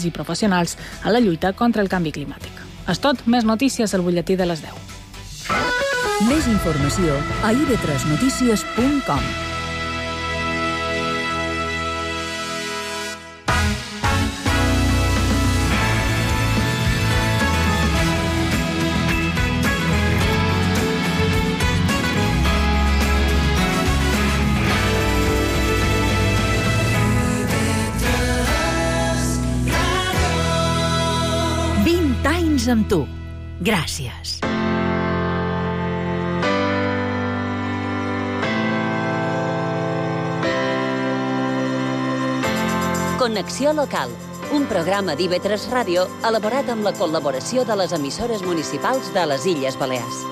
i professionals a la lluita contra el canvi climàtic. És tot, més notícies al butlletí de les 10. Més informació a ib3notícies.com. Amb tu. Gràcies. Connexió local, un programa d'IB3 Ràdio elaborat amb la col·laboració de les emissores municipals de les Illes Balears.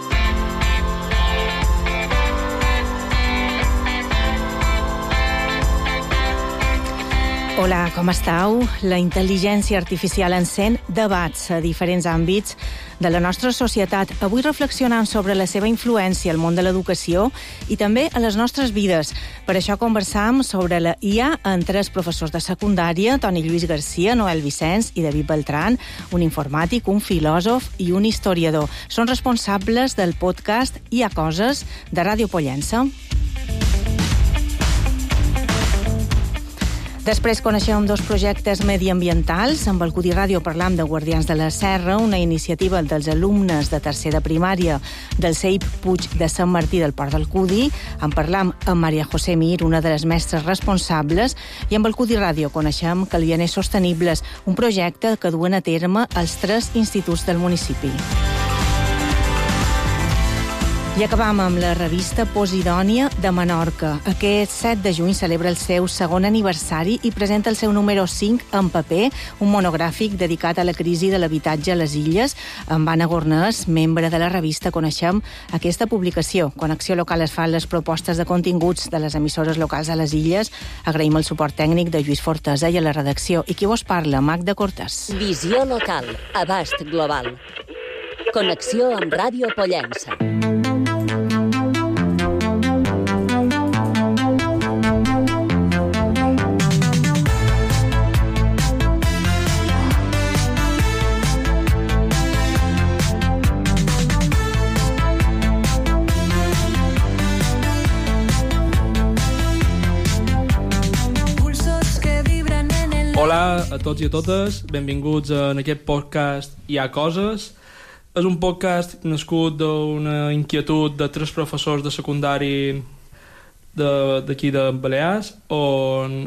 Hola, com estàu? La intel·ligència artificial encén debats a diferents àmbits de la nostra societat. Avui reflexionant sobre la seva influència al món de l'educació i també a les nostres vides. Per això conversam sobre la IA amb 3 professors de secundària, Toni Lluís Garcia, Noel Vicenç i David Beltran, un informàtic, un filòsof i un historiador. Són responsables del podcast Hi ha coses de Ràdio Pollença. Després coneixem 2 projectes mediambientals. Amb el Cudi Ràdio parlam de Guardians de la Serra, una iniciativa dels alumnes de tercer de primària del CEIP Puig de Sant Martí del Port del Cudi. En parlam amb Maria José Mir, una de les mestres responsables, i amb el Cudi Ràdio coneixem Calvianers Sostenibles, un projecte que duen a terme els 3 instituts del municipi. I acabam amb la revista Posidònia de Menorca. Aquest 7 de juny celebra el seu 2è aniversari i presenta el seu número 5 en paper, un monogràfic dedicat a la crisi de l'habitatge a les illes. Amb Anna Gornès, membre de la revista, coneixem aquesta publicació. Connexió Local es fa les propostes de continguts de les emissores locals a les illes. Agraïm el suport tècnic de Lluís Fortesa i a la redacció. I qui vos parla? Magda Cortès. Visió local, abast global. Connexió amb Ràdio Pollença. Hola a tots i a totes, benvinguts en aquest podcast Hi ha coses. És un podcast nascut d'una inquietud de 3 professors de secundari d'aquí de Balears, on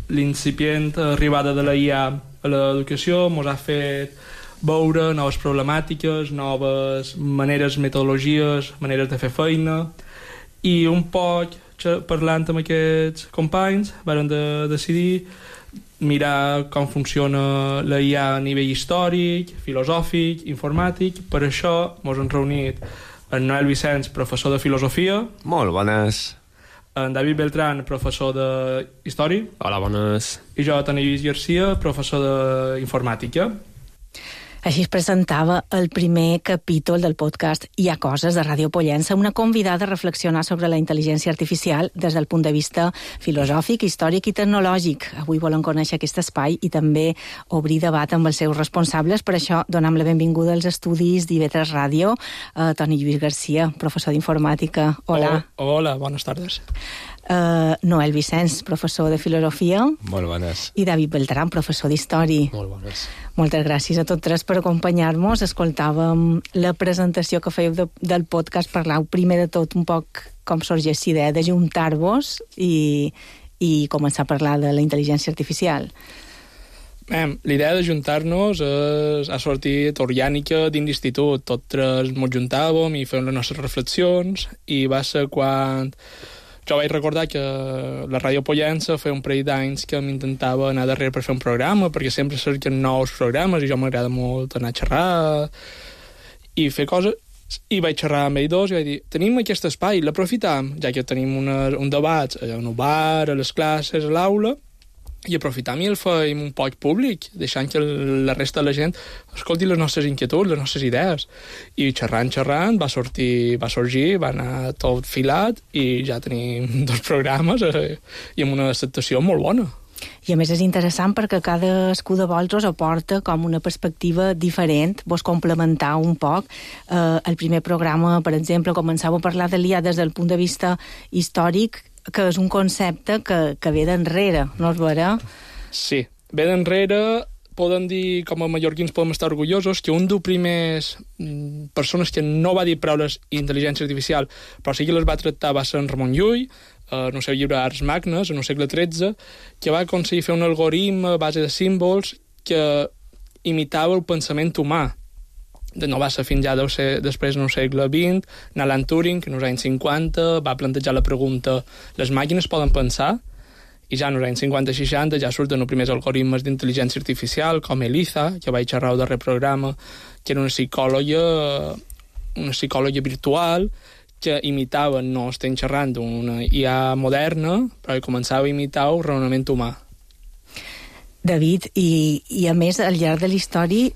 l'incipient arribada de la IA a l'educació ens ha fet veure noves problemàtiques, noves maneres, metodologies, maneres de fer feina, i un poc parlant amb aquests companys vàrem decidir mirar com funciona la IA a nivell històric, filosòfic, informàtic. Per això ens hem reunit en Noel Vicenç, professor de filosofia. Molt bones. En David Beltran, professor de història. Hola, bones. I jo, Toni Lluís Garcia, professor d'informàtica. Així es presentava el primer capítol del podcast Hi ha coses de Ràdio Pollença, una convidada a reflexionar sobre la intel·ligència artificial des del punt de vista filosòfic, històric i tecnològic. Avui volen conèixer aquest espai i també obrir debat amb els seus responsables. Per això donem la benvinguda als estudis d'IB3 Ràdio a Toni Lluís Garcia, professor d'informàtica. Hola. Hola, bones tardes. Noel Vicenç, professor de filosofia. Molt bones. I David Beltran, professor d'història. Molt bones. Moltes gràcies a tots 3 per acompanyar-nos. Escoltàvem la presentació que fèieu del podcast. Parlau primer de tot un poc com sorgeix l'idea de juntar-vos i començar a parlar de la intel·ligència artificial. L'idea de juntar-nos ha sortit orgànica dins l'institut. Tots 3 ens juntàvem i fèiem les nostres reflexions, i va ser quan jo vaig recordar que la Ràdio Pollença feia un parell d'anys que m'intentava anar darrere per fer un programa, perquè sempre cerquen nous programes i jo m'agrada molt anar a xerrar i fer coses. I vaig xerrar amb ells 2 i vaig dir, tenim aquest espai, l'aprofitam, ja que tenim un debat en un bar, a les classes, a l'aula, i aprofitam i el fem un poc públic, deixant que la resta de la gent escolti les nostres inquietuds, les nostres idees. I xerrant, va sorgir, va anar tot filat i ja tenim 2 programes i amb una acceptació molt bona. I a més és interessant perquè cadascú de vosaltres aporta com una perspectiva diferent, vos complementar un poc. El primer programa, per exemple, començava a parlar de l'IA des del punt de vista històric, que és un concepte que ve d'enrere, no és vera? Sí, ve d'enrere. Podem dir, com a mallorquins podem estar orgullosos, que un dels primers persones que no va dir paraules intel·ligència artificial, però sí que les va tractar, va ser en Ramon Llull, en el seu llibre Ars Magnes, en el segle XIII, que va aconseguir fer un algoritme a base de símbols que imitava el pensament humà. No va ser fins ja deu ser després en el segle XX, Alan Turing, que en els anys 50 va plantejar la pregunta: les màquines poden pensar? I ja en els anys 50-60 ja surten els primers algoritmes d'intel·ligència artificial, com Eliza, que vaig xerrar al darrer programa, que era una psicòloga virtual que imitava, no estem xerrant d'una IA moderna, però que començava a imitar el raonament humà. David, i a més, al llarg de la història,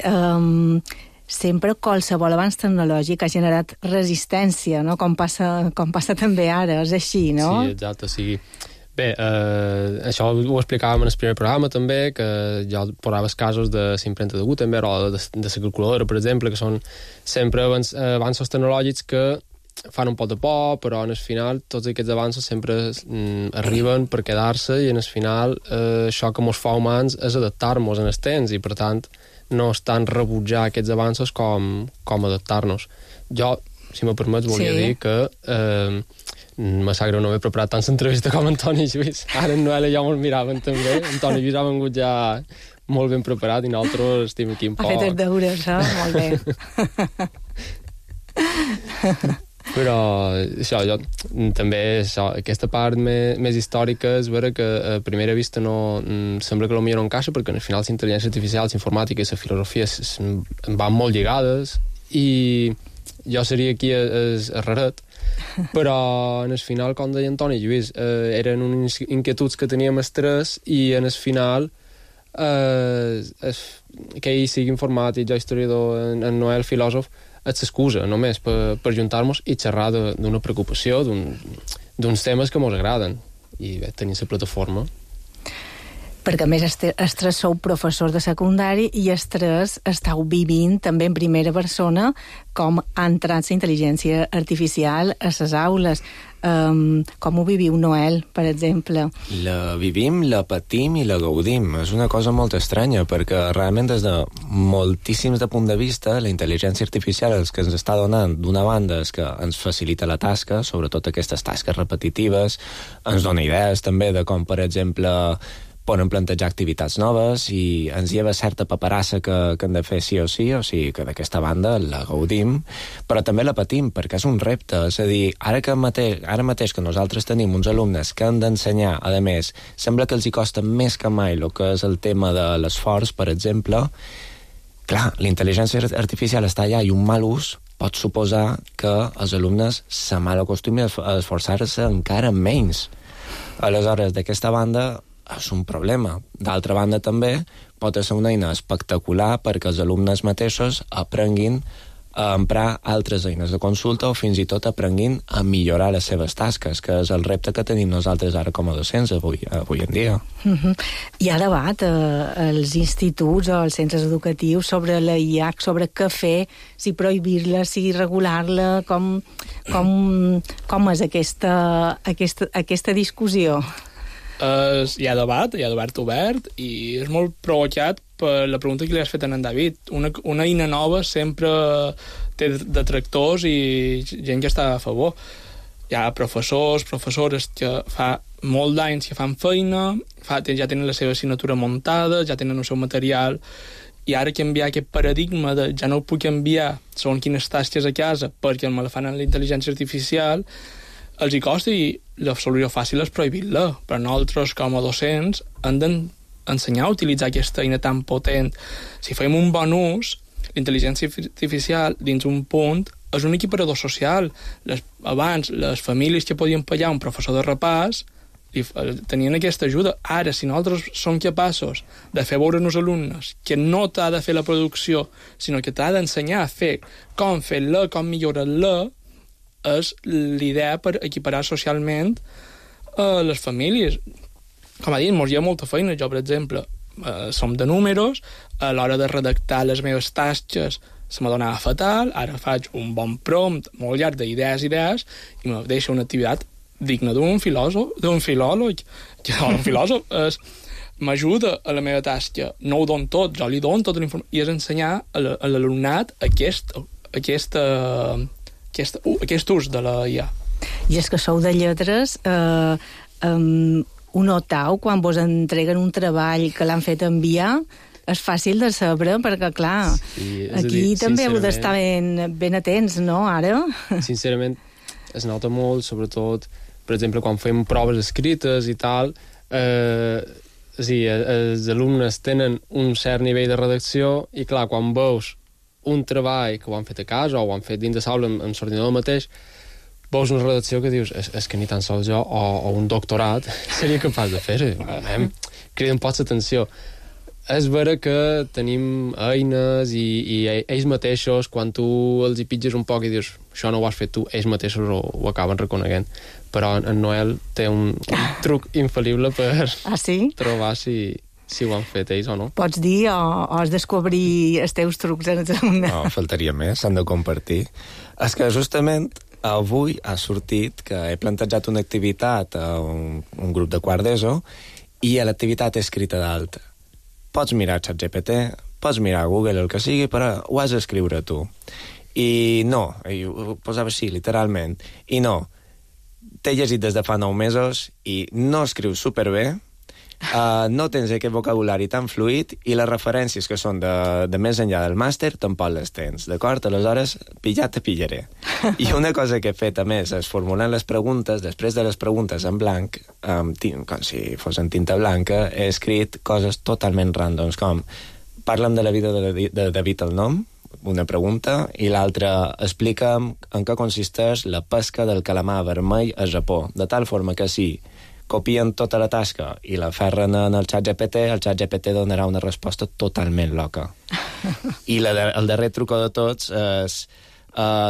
sempre qualsevol avanç tecnològic ha generat resistència, no? Com passa també ara, és així, no? Sí, exacte, sí. Bé, això ho explicàvem en el primer programa també, que jo posaves casos de l'impremta de Gutenberg o de la calculadora, per exemple, que són sempre avanços tecnològics que fan un pot de por, però en el final tots aquests avanços sempre arriben per quedar-se i en el final això que ens fa humans és adaptar-nos en el temps i per tant no és tant rebutjar aquests avanços com adaptar-nos. Jo, si me permets, volia dir que me sap greu no haver preparat tant l'entrevista com Antoni Lluís. Ara en Noel i jo ens miraven també. Antoni Lluís ha vengut ja molt ben preparat i nosaltres estem aquí un poc. Ha fet els deures, Molt bé. Però això, també aquesta part més històrica és vera que a primera vista no sembla que potser no encaixa, perquè al final la intel·ligència artificial, la informàtica i la filosofia van molt lligades i jo seria aquí el raret, però en el final, com deia Antoni Lluís, eren unes inquietuds que teníem els tres i en el final que ell sigui informàtic, jo historiador, en Noel filòsof, és l'excusa només per juntar-nos i xerrar d'una preocupació, d'uns temes que ens agraden i bé, tenir la plataforma. Perquè a més els tres sou professors de secundari i els tres estàu vivint també en primera persona com ha entrat la intel·ligència artificial a les aules. Com ho viviu, Noel, per exemple? La vivim, la patim i la gaudim. És una cosa molt estranya, perquè realment des de moltíssims de punt de vista la intel·ligència artificial el que ens està donant, d'una banda, és que ens facilita la tasca, sobretot aquestes tasques repetitives, ens dona idees també de com, per exemple, poden plantejar activitats noves i ens lleva certa paperassa que hem de fer sí o sigui que d'aquesta banda la gaudim, però també la patim perquè és un repte, és a dir, ara mateix que nosaltres tenim uns alumnes que han d'ensenyar, a més, sembla que els hi costa més que mai el que és el tema de l'esforç, per exemple. Clar, la intel·ligència artificial està allà i un mal ús pot suposar que els alumnes se mal acostumin a esforçar-se encara menys. Aleshores, d'aquesta banda és un problema. D'altra banda, també pot ser una eina espectacular perquè els alumnes mateixos aprenguin a emprar altres eines de consulta o fins i tot aprenguin a millorar les seves tasques, que és el repte que tenim nosaltres ara com a docents avui en dia. Hi ha debat als instituts o als centres educatius sobre la IA, sobre què fer, si prohibir-la, si regular-la, com és aquesta discussió? Hi ha debat obert i és molt provocat per la pregunta que li has fet a en David. Una eina nova sempre té detractors i gent que està a favor. Hi ha professores que fa molt d'anys que fan feina, ja tenen la seva assignatura muntada, ja tenen el seu material, i ara canviar aquest paradigma de ja no ho puc enviar segons quines tasques a casa perquè me la fan en la intel·ligència artificial, els hi costa i la solució fàcil és prohibir-la, però nosaltres com a docents hem d'ensenyar a utilitzar aquesta eina tan potent. Si fem un bon ús, l'intel·ligència artificial dins un punt és un equiparador social. Abans les famílies que podien pagar un professor de repàs tenien aquesta ajuda. Ara, si nosaltres som capaços de fer veure als alumnes que no t'ha de fer la producció, sinó que t'ha d'ensenyar a fer com fer-la, com millorar-la, és l'idea per equiparar socialment les famílies. com ha dit, mos hi ha molta feina. Jo, per exemple, som de números, a l'hora de redactar les meves tasques se m'adonava fatal, ara faig un bon prompt molt llarg d'idees i me deixa una activitat digna d'un filòleg, que un filòsof m'ajuda a la meva tasca, no ho dono tot, jo li dono tota la informació, i és ensenyar a l'alumnat aquest ús de la IA. I és que sou de lletres, ho notau quan vos entreguen un treball que l'han fet enviar? És fàcil de saber, perquè, clar, sí, aquí també heu d'estar ben atents, no, ara? Sincerament, es nota molt, sobretot, per exemple, quan fem proves escrites i tal, els alumnes tenen un cert nivell de redacció i, clar, quan veus un treball que ho han fet a casa o ho han fet dins de l'aula amb l'ordinador mateix, veus una redacció que dius, és que ni tan sols jo o un doctorat seria capaç de fer-ho. Crida un poc l'atenció. És vera que tenim eines i ells mateixos, quan tu els hi pitges un poc i dius això no ho has fet tu, ells mateixos ho acaben reconeguent. Però en Noel té un truc infal·lible per trobar si ho han fet ells o no. Pots dir o has descobrir els teus trucs en els alumnes? No, faltaria més, s'han de compartir. És que justament avui ha sortit que he plantejat una activitat a un grup de quart d'ESO i a l'activitat he escrita d'alta. Pots mirar ChatGPT, pots mirar Google, el que sigui, però ho has d'escriure tu. I no, ho posava així, literalment, i no, t'he llegit des de fa 9 mesos i no escrius superbé, no tens aquest vocabulari tan fluid i les referències que són de més enllà del màster tampoc les tens, d'acord? Aleshores, pillat te pillaré. I una cosa que he fet, a més, és formulant les preguntes, després de les preguntes en blanc, com si fos en tinta blanca, he escrit coses totalment randoms, com parla'm de la vida de David el Nom, una pregunta, i l'altra, explica'm en què consisteix la pesca del calamar vermell a Japó, de tal forma que si copien tota la tasca i la ferren en el ChatGPT donarà una resposta totalment loca. I el darrer truco de tots és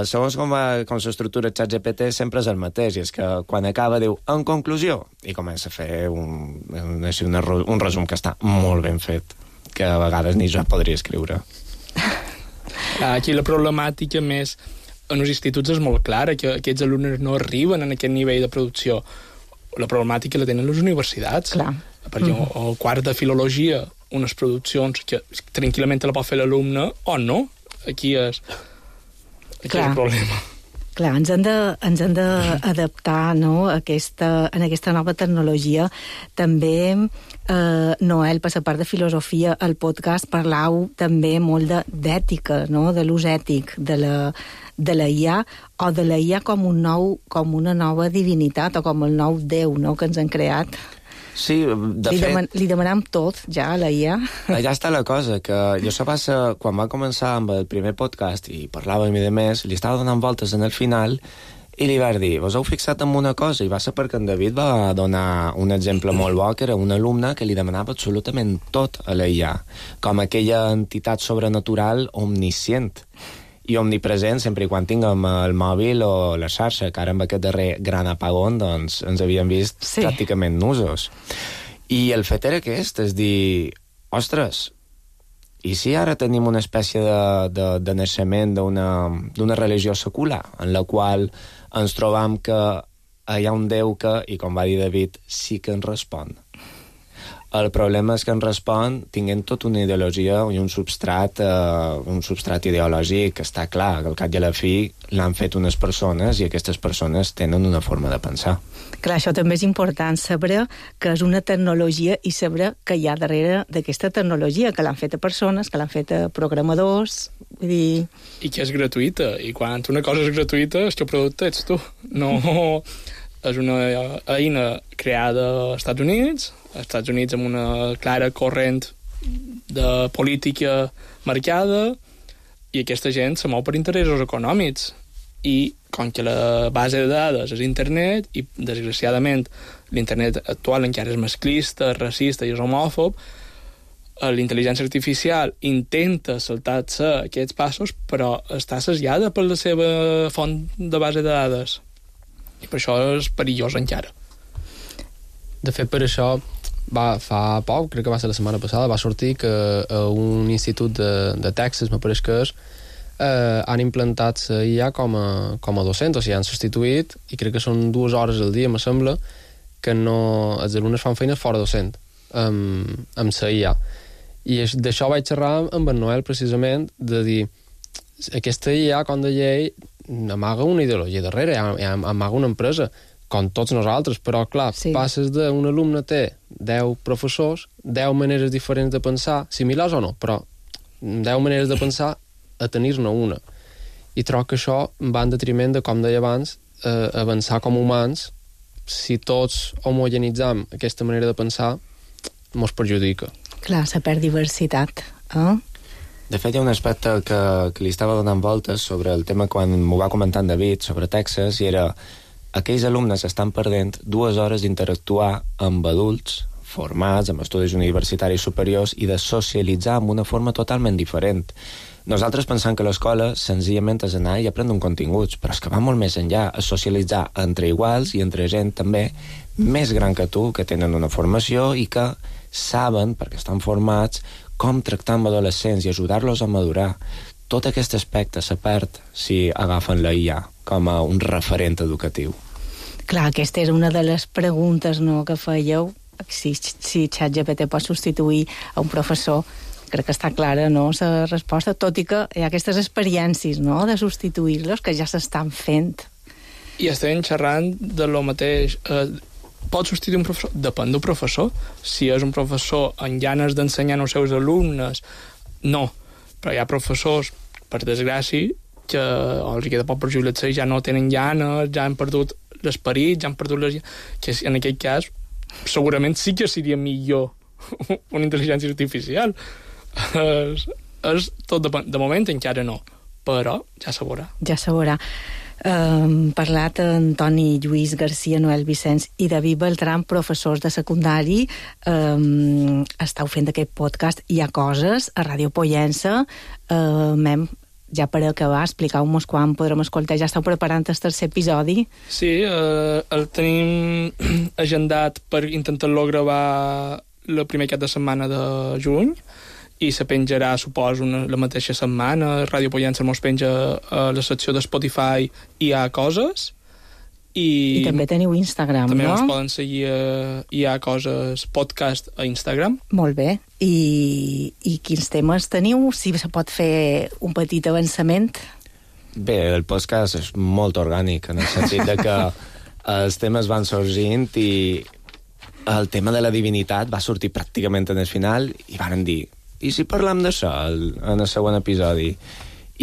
segons com s'estructura el ChatGPT sempre és el mateix, i és que quan acaba diu en conclusió, i comença a fer un resum que està molt ben fet, que a vegades ni jo podria escriure. Aquí la problemàtica més en els instituts és molt clara, que aquests alumnes no arriben en aquest nivell de producció. La problemàtica la tenen les universitats. Clar. Perquè el quart de filologia, unes produccions que tranquil·lament la pot fer l'alumne o no. Aquí és el problema. Clar, ens hem d'adaptar, no, en aquesta nova tecnologia. També, Noel, per la part de filosofia, al podcast parlau també molt d'ètica, no?, de l'ús ètic de la IA, o de la IA com una nova divinitat, o com el nou Déu, no?, que ens han creat. Sí, de fet... Li demanem tot, ja, a la IA. Allà està la cosa, que jo això passa... Quan va començar amb el primer podcast i parlàvem i de més, li estava donant voltes en el final i li vaig dir, vos heu fixat en una cosa? I va ser perquè en David va donar un exemple molt bo, que era un alumne que li demanava absolutament tot a la IA, com aquella entitat sobrenatural omniscient i omnipresent sempre i quan tinguem el mòbil o la xarxa, que ara amb aquest darrer gran apagón doncs ens havíem vist pràcticament nusos. I el fet era aquest, és dir, ostres, i si ara tenim una espècie de naixement d'una religió secular, en la qual ens trobam que hi ha un Déu que, i com va dir David, sí que ens respon. El problema és que ens respon tinguent tota una ideologia i un substrat ideològic que està clar, que al cap i a la fi l'han fet unes persones i aquestes persones tenen una forma de pensar. Clar, això també és important, saber que és una tecnologia i saber que hi ha darrere d'aquesta tecnologia, que l'han fet a persones, que l'han fet a programadors, vull dir... I que és gratuïta, i quan una cosa és gratuïta, el teu producte ets tu. No és una eina creada als Estats Units amb una clara corrent de política marcada, i aquesta gent se mou per interessos econòmics. I com que la base de dades és internet, i desgraciadament l'internet actual encara és masclista, racista i és homòfob, l'intel·ligència artificial intenta saltar-se aquests passos, però està associada per la seva font de base de dades. I per això és perillós encara. De fet, per això fa poc, crec que va ser la setmana passada, va sortir que a un institut de Texas, me pareix que és, han implantat la IA com a docent, o sigui, han substituït, i crec que són 2 hores al dia, me sembla, que no, els alumnes fan feines fora docent, amb la IA. I d'això vaig xerrar amb en Noel, precisament, de dir, aquesta IA, com deia ell, amaga una ideologia darrere, amaga una empresa, com tots nosaltres, però, clar, passes d'un alumne té 10 professors, 10 maneres diferents de pensar, similars o no, però 10 maneres de pensar a tenir-ne una. I trobo que això va en detriment de, com deia abans, avançar com humans. Si tots homogenitzam aquesta manera de pensar, mos perjudica. Clar, se perd diversitat. De fet, hi ha un aspecte que li estava donant voltes sobre el tema quan m'ho va comentar en David, sobre Texas, i era aquells alumnes estan perdent 2 hores d'interactuar amb adults formats, amb estudis universitaris superiors, i de socialitzar amb una forma totalment diferent. Nosaltres pensem que l'escola senzillament és anar i aprendre un continguts, però és que va molt més enllà, a socialitzar entre iguals i entre gent també més gran que tu, que tenen una formació i que saben, perquè estan formats, com tractar amb adolescents i ajudar-los a madurar. Tot aquest aspecte se perd si agafen la IA com a un referent educatiu. Clar, aquesta era una de les preguntes, no, que fèieu, si ChatGPT pot substituir a un professor. Crec que està clara, no?, la resposta, tot i que hi ha aquestes experiències, no?, de substituir-los que ja s'estan fent. I estem xerrant de lo mateix. Pot substituir un professor? Depèn del professor. Si és un professor amb ganes d'ensenyar als seus alumnes, no. Però hi ha professors, per desgràcia, que els queda poc per jubilar-se i ja no tenen ganes, ja han perdut l'esperit, ja han perdut les... que en aquest cas segurament sí que seria millor una intel·ligència artificial. És tot de moment encara no, però ja se veurà. Ja se veurà. Parlat Antoni Lluís Garcia, Noel Vicenç i David Beltran, professors de secundari. Esteu fent aquest podcast Hi ha coses a Ràdio Pollença. Ja per acabar, expliqueu-nos quan podrem escoltar. Ja esteu preparant el tercer episodi? Sí, el tenim agendat per intentar-lo gravar el primer cap de setmana de juny, i se penjarà, suposo, la mateixa setmana. Ràdio Pollença mos penja a la secció de Spotify Hi ha coses. I també teniu Instagram, també no? També ens poden seguir Hi ha coses podcast a Instagram. Molt bé. I quins temes teniu? Si se pot fer un petit avançament? Bé, el podcast és molt orgànic, en el sentit de que els temes van sorgint i el tema de la divinitat va sortir pràcticament en el final i van dir, i si parlem d'això en el següent episodi?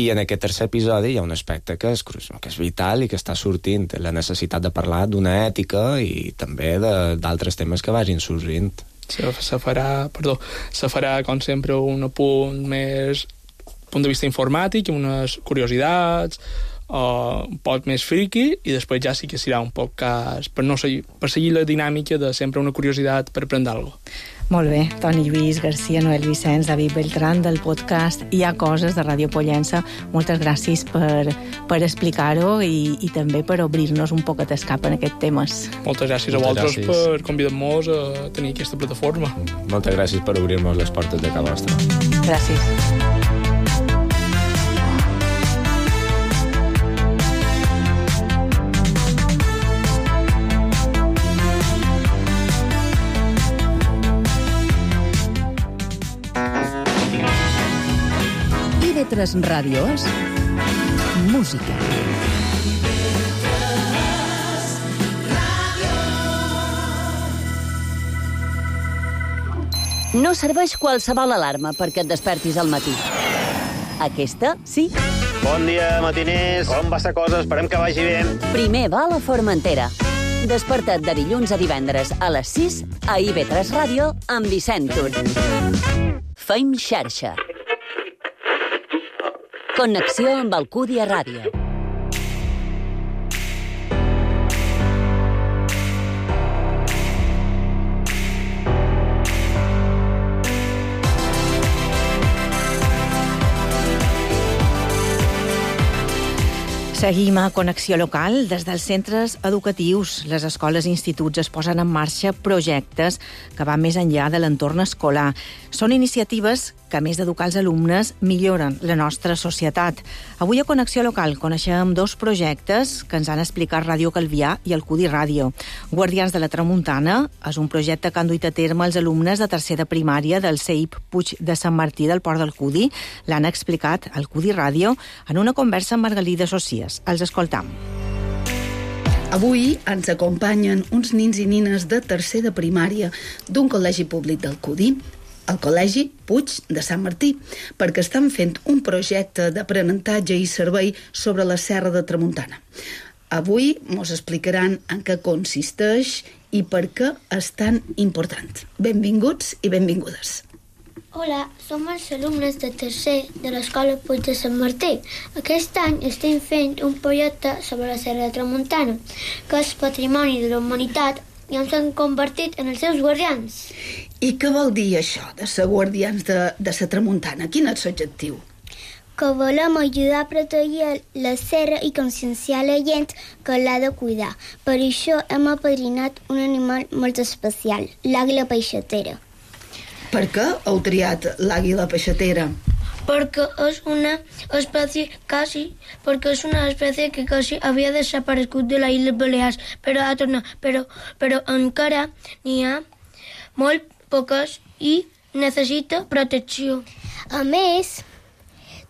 I en aquest tercer episodi hi ha un aspecte que és vital i que està sortint, la necessitat de parlar d'una ètica i també d'altres temes que vagin sorgint. Se farà, com sempre, un punt de vista informàtic, unes curiositats, un poc més friki, i després ja sí que serà un podcast per seguir la dinàmica de sempre una curiositat per aprendre alguna cosa. Molt bé, Toni Lluís Garcia, Noel Vicenç, David Beltran, del podcast Hi ha coses de Ràdio Pollença. Moltes gràcies per explicar-ho i també per obrir-nos un poquet el cap en aquests temes. Moltes gràcies a vosaltres per convidar-nos a tenir aquesta plataforma. Moltes gràcies per obrir-nos les portes de casa vostra. Gràcies. Tres ràdios, música. No serveix qualsevol alarma perquè et despertis al matí. Aquesta, sí. Bon dia, matiners. Com va la cosa? Esperem que vagi bé. Primer va a la Formentera. Desperta't de dilluns a divendres a les 6 a IB3 Ràdio amb Vicent Tur. Feim xarxa. Connexió amb Alcúdia Ràdio. Seguim a Connexió Local. Des dels centres educatius, les escoles i instituts es posen en marxa projectes que van més enllà de l'entorn escolar. Són iniciatives que, a més d'educar els alumnes, milloren la nostra societat. Avui a Connexió Local coneixem dos projectes que ens han explicat Ràdio Calvià i el Cudi Ràdio. Guardians de la Tramuntana és un projecte que han duit a terme els alumnes de tercer de primària del CEIP Puig de Sant Martí del Port del Cudi. L'han explicat al Cudi Ràdio en una conversa amb Margalida Socies. Els escoltam. Avui ens acompanyen uns nins i nines de tercer de primària d'un col·legi públic del Cudi, el Col·legi Puig de Sant Martí, perquè estan fent un projecte d'aprenentatge i servei sobre la Serra de Tramuntana. Avui mos explicaran en què consisteix i per què és tan important. Benvinguts i benvingudes. Hola, som els alumnes de tercer de l'Escola Puig de Sant Martí. Aquest any estem fent un projecte sobre la Serra de Tramuntana, que és patrimoni de la humanitat i ens hem convertit en els seus guardians. I què vol dir això de ser guardians de la Tramuntana? Quin és l'objectiu? Que volem ajudar a protegir la serra i conscienciar la gent que l'ha de cuidar. Per això hem apadrinat un animal molt especial, l'àguila peixatera. Per què heu triat l'àguila peixatera? Perquè és una espècie que quasi havia desaparegut de les Illes Balears, però ha tornat. Però encara n'hi ha molt poques i necessita protecció. A més,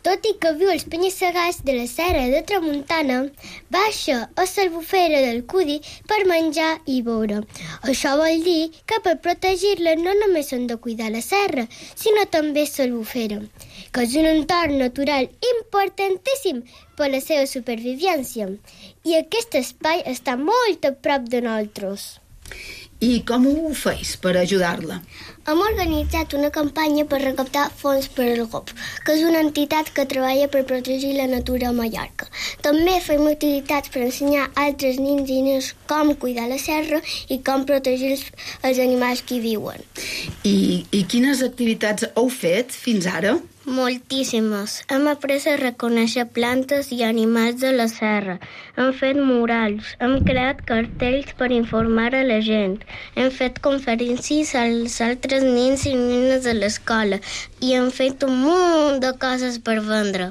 tot i que viu als penya-segats de la Serra de Tramuntana, baixa a l'Albufera del Cudi per menjar i beure. Això vol dir que per protegir-la no només hem de cuidar la serra, sinó també l'Albufera, que és un entorn natural importantíssim per la seva supervivència. I aquest espai està molt a prop de nosaltres. I com ho feis per ajudar-la? Hem organitzat una campanya per recaptar fons per al GOP, que és una entitat que treballa per protegir la natura a Mallorca. També fem utilitats per ensenyar a altres nins i nenes com cuidar la serra i com protegir els animals que hi viuen. I quines activitats heu fet fins ara? Moltíssimes. Hem après a reconèixer plantes i animals de la serra. Hem fet murals, hem creat cartells per informar a la gent, hem fet conferències als altres nens i nenes de l'escola i hem fet un munt de coses per vendre.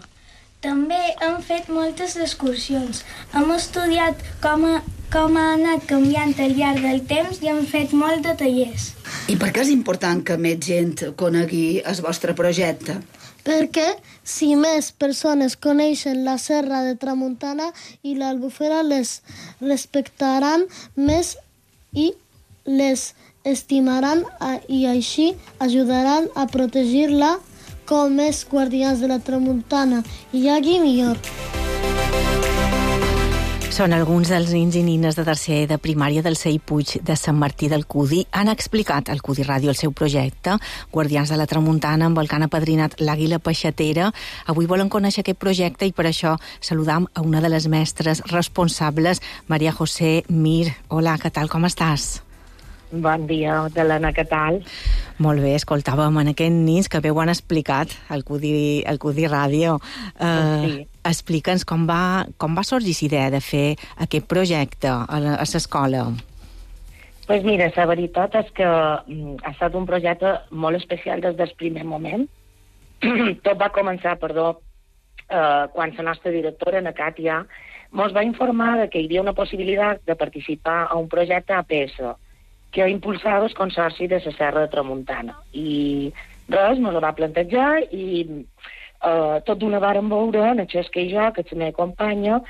També hem fet moltes excursions. Hem estudiat com ha anat canviant al llarg del temps i hem fet molt de tallers. I per què és important que més gent conegui el vostre projecte? Perquè si més persones coneixen la Serra de Tramuntana i l'Albufera, les respectaran més i les estimaran i així ajudaran a protegir-la com més guardians de la Tramuntana hi hagi millor. Són alguns dels nins i nines de tercer de primària del CEIP Puig de Sant Martí del Cudi. Han explicat al Cudi Ràdio el seu projecte, Guardians de la Tramuntana, amb el que han apadrinat l'àguila peixatera. Avui volen conèixer aquest projecte i per això saludam a una de les mestres responsables, Maria José Mir. Hola, què tal, com estàs? Bon dia, Helena, què tal? Molt bé, escoltàvem en aquests nins que bé ho han explicat al Cudi Ràdio. Sí. Explica'ns com va sorgir l'idea de fer aquest projecte a l'escola. Pues mira, la veritat és que ha estat un projecte molt especial des del primer moment. Tot va començar, quan la nostra directora, Ana Càtia, ens va informar que hi havia una possibilitat de participar a un projecte APS que impulsava el Consorci de la Serra de Tramuntana. I res, ens ho va plantejar i tot d'una vàrem veure, en Xesca i jo, que és la meva companya,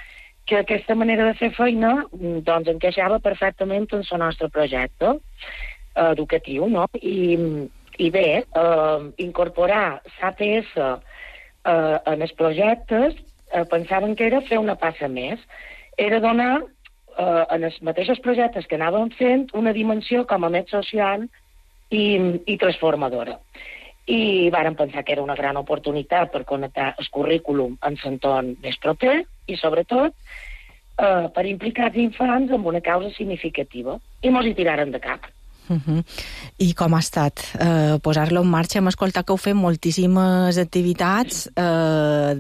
que aquesta manera de fer feina doncs encaixava perfectament en el nostre projecte educatiu, no? I bé, incorporar l'APS en els projectes pensaven que era fer una passa més. Era donar en els mateixos projectes que anàvem fent una dimensió com a més social i transformadora. I vàrem pensar que era una gran oportunitat per connectar el currículum en l'entorn més proper i, sobretot, per implicar els infants en una causa significativa. I mos hi tiraren de cap. I com ha estat posar-lo en marxa? Hem escoltat que heu fet moltíssimes activitats,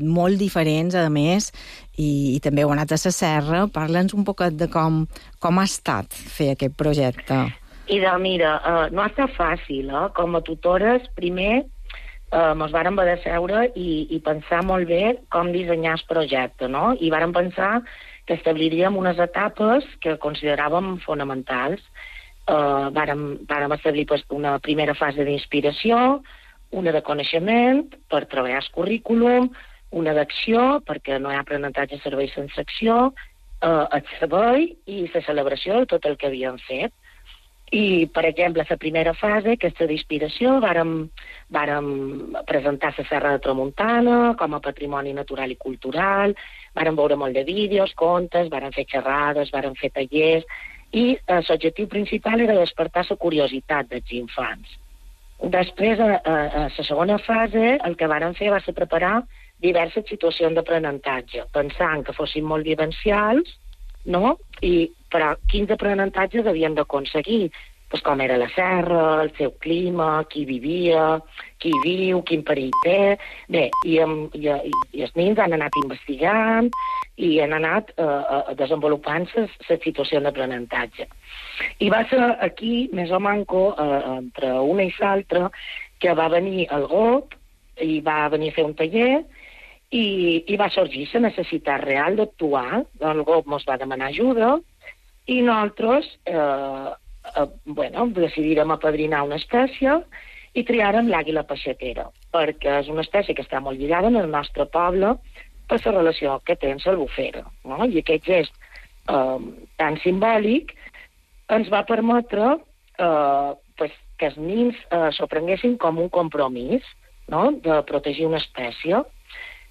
molt diferents, a més, i també heu anat a la serra. Parla'ns un poquet de com ha estat fer aquest projecte. Mira, no ha estat fàcil, Com a tutores, primer ens vàrem haver de seure i pensar molt bé com dissenyar el projecte, no? I vàrem pensar que establiríem unes etapes que consideràvem fonamentals. Vàrem establir una primera fase d'inspiració, una de coneixement per treballar el currículum, una d'acció, perquè no hi ha aprenentatge de servei sense acció, el servei i la celebració de tot el que havíem fet. I, per exemple, la primera fase, aquesta d'inspiració, vàrem presentar la Serra de Tramuntana com a patrimoni natural i cultural, vàrem veure molt de vídeos, contes, vàrem fer xerrades, vàrem fer tallers, i l'objectiu principal era despertar la curiositat dels infants. Després, a la segona fase, el que vàrem fer va ser preparar diverses situacions d'aprenentatge, pensant que fossin molt vivencials, no? Però quins aprenentatges havien d'aconseguir? Com era la serra, el seu clima, qui vivia, qui viu, quin perill té... Bé, i els nens han anat investigant i han anat desenvolupant la situació d'aprenentatge. I va ser aquí, més o manco, entre una i l'altra, que va venir el GOP i va venir a fer un taller i va sorgir la necessitat real d'actuar. El GOP ens va demanar ajuda i nosaltres decidirem apadrinar una espècie i triarem l'àguila peixatera, perquè és una espècie que està molt lligada en el nostre poble per la relació que té amb l'albufera, no? I aquest gest tan simbòlic ens va permetre que els nens s'ho prenguessin com un compromís, no? De protegir una espècie.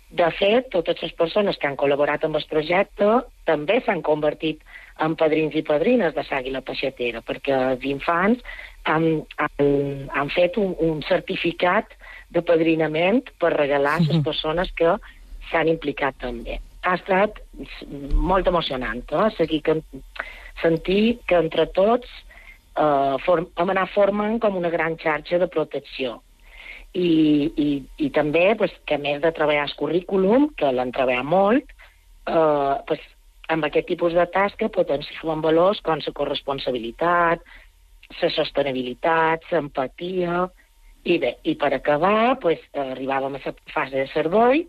De fet, totes les persones que han col·laborat amb el projecte també s'han convertit en padrins i padrines de l'àguila peixatera, perquè els infants han fet un certificat de padrinament per regalar a les persones que s'han implicat també. Ha estat molt emocionant, sentir que entre tots hem anat formant com una gran xarxa de protecció. I també, que a més de treballar el currículum, que l'han treballat molt, amb aquest tipus de tasca potencien valors com la corresponsabilitat, la sostenibilitat, l'empatia, i per acabar arribàvem a la fase de servei,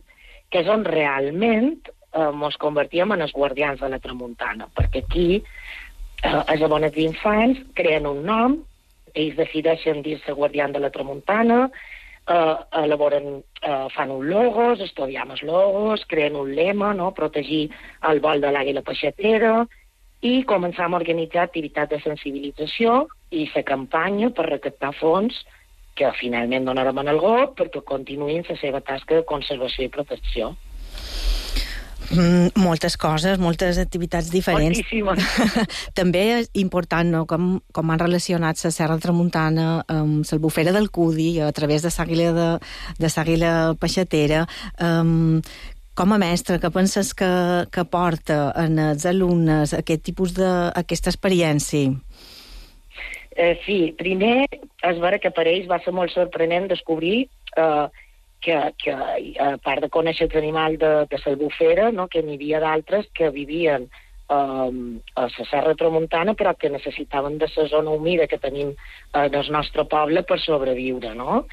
que és on realment ens convertíem en els guardians de la tramuntana, perquè aquí els abonats d'infants creen un nom, ells decideixen dir-se guardians de la tramuntana, fan un logos, estudiam els logos, creen un lema, no? Protegir el vol de l'àguila peixatera, i començam a organitzar activitats de sensibilització i fer campanya per recaptar fons que finalment donarem en el GOP perquè continuïn la seva tasca de conservació i protecció. Moltes coses, moltes activitats diferents. Moltíssimes. També és important, no?, com han relacionat la Serra Tramuntana amb l'Albufera del Cudi a través de l'àguila peixatera. Com a mestre, què penses que porta en els alumnes aquesta experiència? Sí, primer és vera que per ells va ser molt sorprenent descobrir que a part de conèixer els animals de l'Albufera, no, que n'hi havia d'altres que vivien a la Serra Tramuntana però que necessitaven de la zona humida que tenim en el nostre poble per sobreviure, no?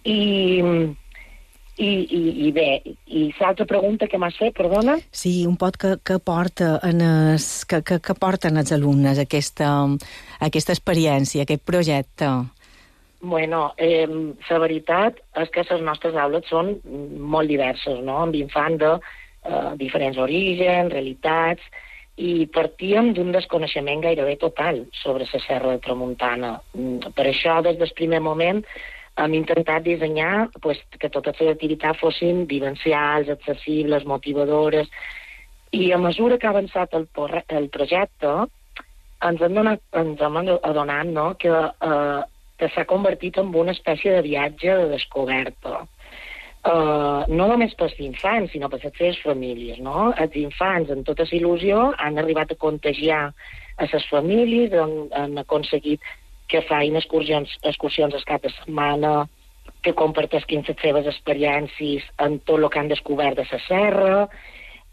I bé, i l'altra pregunta que m'has fet, perdona? Sí, un pot que porten els alumnes aquesta experiència, aquest projecte. Bueno, la veritat és que les nostres aules són molt diverses, no?, amb infants de diferents orígens, realitats, i partíem d'un desconeixement gairebé total sobre la Serra de Tramuntana. Per això, des del primer moment, hem intentat dissenyar que totes les activitats fossin vivencials, accessibles, motivadores, i a mesura que ha avançat el projecte ens hem adonat, no?, que s'ha convertit en una espècie de viatge de descoberta. No només pels infants, sinó per les seves famílies, no? Els infants, amb tota la il·lusió, han arribat a contagiar a les famílies, han aconseguit que facin excursions al cap de setmana, que comparteixin les seves experiències en tot el que han descobert de la serra,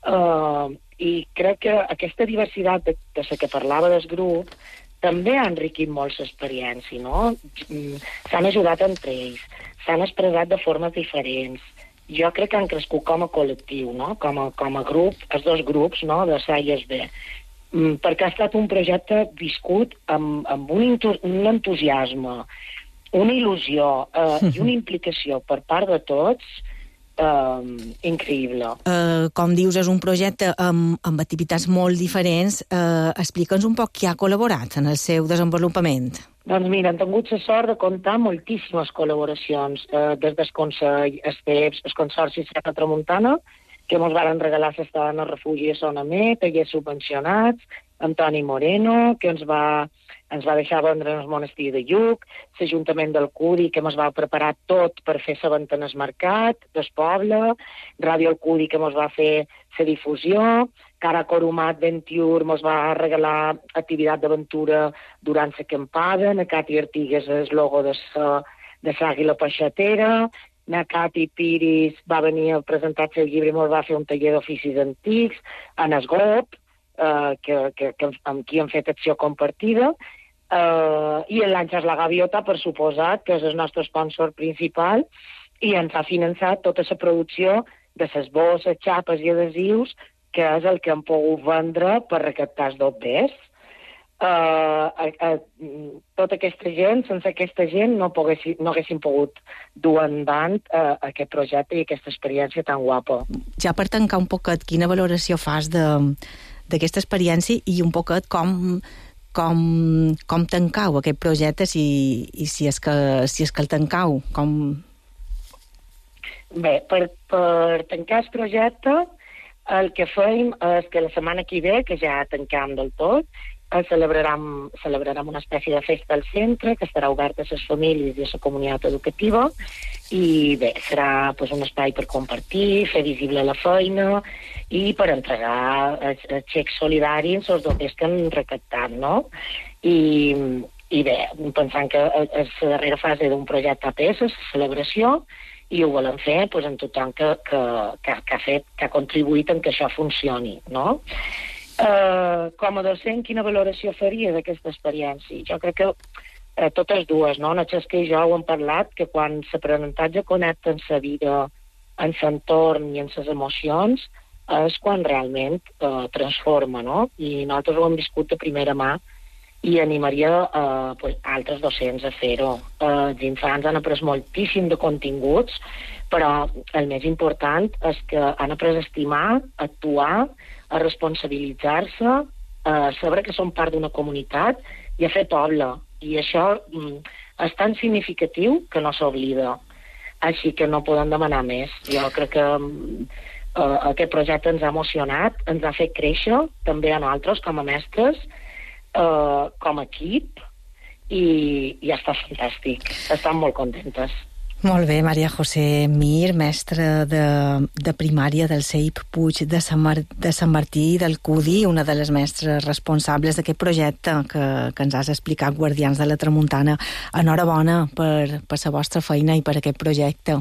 I crec que aquesta diversitat de la que parlava del grup també ha enriquit molt l'experiència, no? S'han ajudat entre ells, s'han expressat de formes diferents. Jo crec que han crescut com a col·lectiu, no? Com a grup, els dos grups, no? De SA i SB. Perquè ha estat un projecte viscut amb un entusiasme, una il·lusió i una implicació per part de tots increïble. Com dius, és un projecte amb activitats molt diferents. Explica'ns un poc qui ha col·laborat en el seu desenvolupament. Doncs mira, hem tingut la sort de comptar moltíssimes col·laboracions des del Consell, el Consorci Serra Tramuntana, que ens van regalar l'estadant al refugi a Sonamer, tallers subvencionats, Antoni Moreno, que ens va deixar vendre en el monestir de Lluc, l'Ajuntament del Cudi, que ens va preparar tot per fer la venda en el mercat del poble, Ràdio El Cudi, que ens va fer la difusió, Cara Corumat 21 ens va regalar activitat d'aventura durant l'acampada, na Cati Artigues el logo de l'Àguila Peixatera, na Cati Piris va venir a presentar el llibre i ens va fer un taller d'oficis antics, en Esgop, amb qui hem fet acció compartida, i l'Àngels La Gaviota, per suposat, que és el nostre sponsor principal, i ens ha finançat tota la producció de les bosses, xapes i adhesius, que és el que hem pogut vendre per recaptar els dobbers. Tota aquesta gent, sense aquesta gent, no haguéssim pogut dur endavant aquest projecte i aquesta experiència tan guapa. Ja per tancar un poquet, quina valoració fas d'aquesta experiència i un poquet com tancau aquest projecte, si és que el tancau? Bé, per tancar el projecte, el que fem és que la setmana que ve, que ja tancam del tot, celebrarem una espècie de festa al centre que estarà oberta a les famílies i a la comunitat educativa i bé, serà un espai per compartir, fer visible la feina i per entregar el xec solidari en els doblers que han recaptat, no? I bé, pensant que és la darrera fase d'un projecte APS, la celebració, i ho volem fer amb tothom que ha contribuït en que això funcioni, no? Com a docent, quina valoració faria d'aquesta experiència? Jo crec que totes dues, no? En Xesca i jo ho hem parlat, que quan l'aprenentatge connecta en la vida, en l'entorn i en les emocions, és quan realment transforma, no? I nosaltres ho hem viscut de primera mà i animaria altres docents a fer-ho. Els infants han après moltíssim de continguts, però el més important és que han après a estimar, a actuar, a responsabilitzar-se, a saber que són part d'una comunitat i a fer poble. I això és tan significatiu que no s'oblida. Així que no podem demanar més. Jo crec que aquest projecte ens ha emocionat, ens ha fet créixer, també a nosaltres com a mestres, com a equip, i ja està fantàstic. Estan molt contentes. Molt bé, Maria José Mir, mestra de primària del CEIP Puig de Sant Martí del Cudi, una de les mestres responsables d'aquest projecte que ens has explicat, Guardians de la Tramuntana. Enhorabona per la vostra feina i per aquest projecte.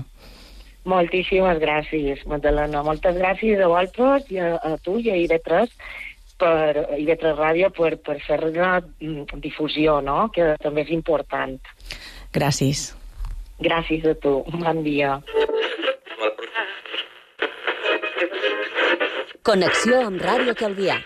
Moltíssimes gràcies, Magdalena. Moltes gràcies a vosaltres i a tu i a IB3 IB3 Ràdio per fer-ne difusió, no? Que també és important. Gràcies. Gràcies a tu. Bon dia. Connexió amb Ràdio Calvià.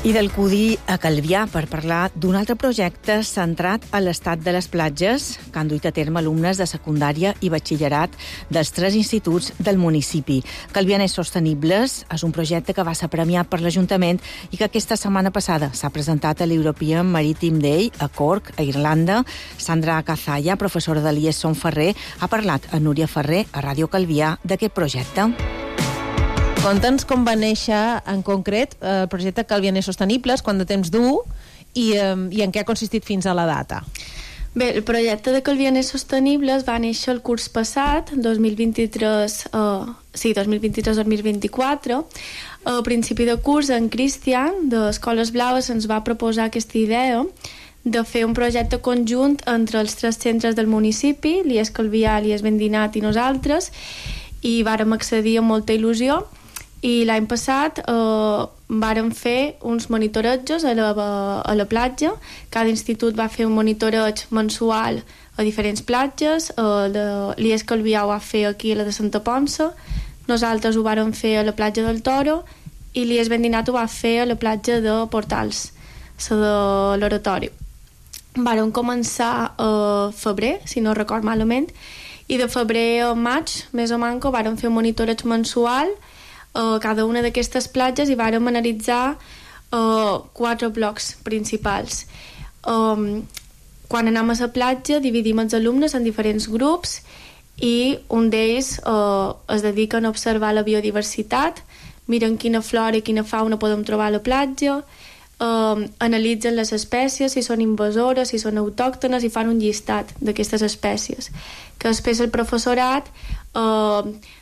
I del Cudi a Calvià per parlar d'un altre projecte centrat a l'estat de les platges que han duit a terme alumnes de secundària i batxillerat dels 3 instituts del municipi. Calvianers Sostenibles és un projecte que va ser premiat per l'Ajuntament i que aquesta setmana passada s'ha presentat a l'European Maritime Day a Cork, a Irlanda. Sandra Cazalla, professora de l'IES Son Ferrer, ha parlat a Núria Ferrer, a Ràdio Calvià, d'aquest projecte. Conta'ns com va néixer en concret el projecte Calvianers Sostenibles, quant de temps du i en què ha consistit fins a la data. Bé, el projecte de Calvianes Sostenibles va néixer el curs passat, 2023-2024. A principi de curs, en Cristian, d'Escoles Blaves, ens va proposar aquesta idea de fer un projecte conjunt entre els 3 centres del municipi, l'IES Calvià, l'IES Vendinat i nosaltres, i vàrem accedir amb molta il·lusió. I l'any passat vàrem fer uns monitoretges a la platja. Cada institut va fer un monitoreig mensual a diferents platges. L'IES Calvià ho va fer aquí a la de Santa Ponça, nosaltres ho vàrem fer a la platja del Toro i l'IES Vendinat ho va fer a la platja de Portals, la de l'Oratori. Vàrem començar a febrer, si no record malament, i de febrer a maig, més o manco, vàrem fer un monitoreig mensual cada una d'aquestes platges i vàrem analitzar 4 blocs principals. Quan anem a la platja dividim els alumnes en diferents grups i un d'ells es dediquen a observar la biodiversitat, miren quina flora i quina fauna podem trobar a la platja, analitzen les espècies, si són invasores, si són autòctones, i fan un llistat d'aquestes espècies, que després el professorat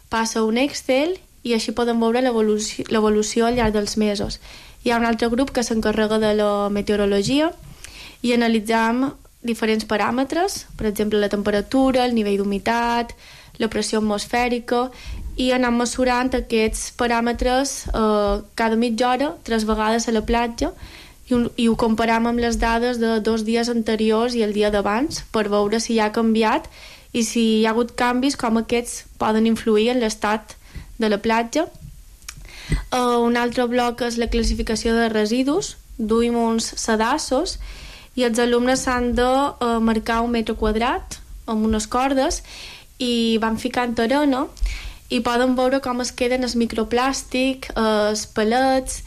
passa un Excel i així podem veure l'evolució al llarg dels mesos. Hi ha un altre grup que s'encarrega de la meteorologia i analitzam diferents paràmetres, per exemple la temperatura, el nivell d'humitat, la pressió atmosfèrica, i anem mesurant aquests paràmetres cada mitja hora, 3 vegades a la platja, i ho comparam amb les dades de 2 dies anteriors i el dia d'abans per veure si ha canviat i si hi ha hagut canvis, com aquests poden influir en l'estat de la platja. Un altre bloc és la classificació de residus. Duim uns sedassos i els alumnes s'han de marcar 1 metre quadrat amb unes cordes i van ficant arena i poden veure com es queden els microplàstic, els pellets,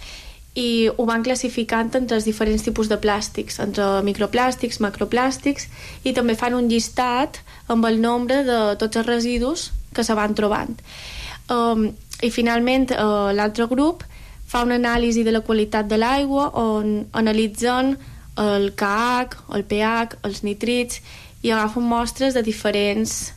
i ho van classificant entre els diferents tipus de plàstics, entre microplàstics, macroplàstics, i també fan un llistat amb el nombre de tots els residus que se van trobant. I finalment l'altre grup fa una anàlisi de la qualitat de l'aigua on analitzen el KH, el pH, els nitrits i agafen mostres de diferents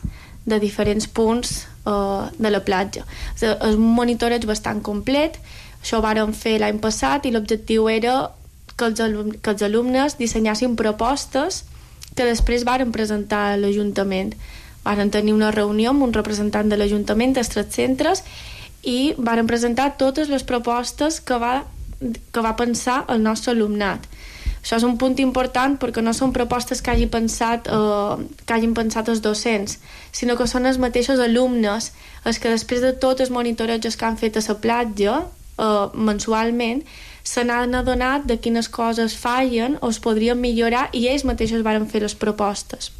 punts de la platja. És un monitoreig bastant complet. Això ho vàrem fer l'any passat i l'objectiu era que els alumnes dissenyassin propostes que després vàrem presentar a l'Ajuntament. Varen tenir una reunió amb un representant de l'Ajuntament dels 3 centres i varen presentar totes les propostes que va pensar el nostre alumnat. Això és un punt important perquè no són propostes que hagin pensat els docents, sinó que són els mateixos alumnes els que després de tots els monitoretges que han fet a la platja mensualment se n'han adonat de quines coses fallen o es podrien millorar i ells mateixos varen fer les propostes.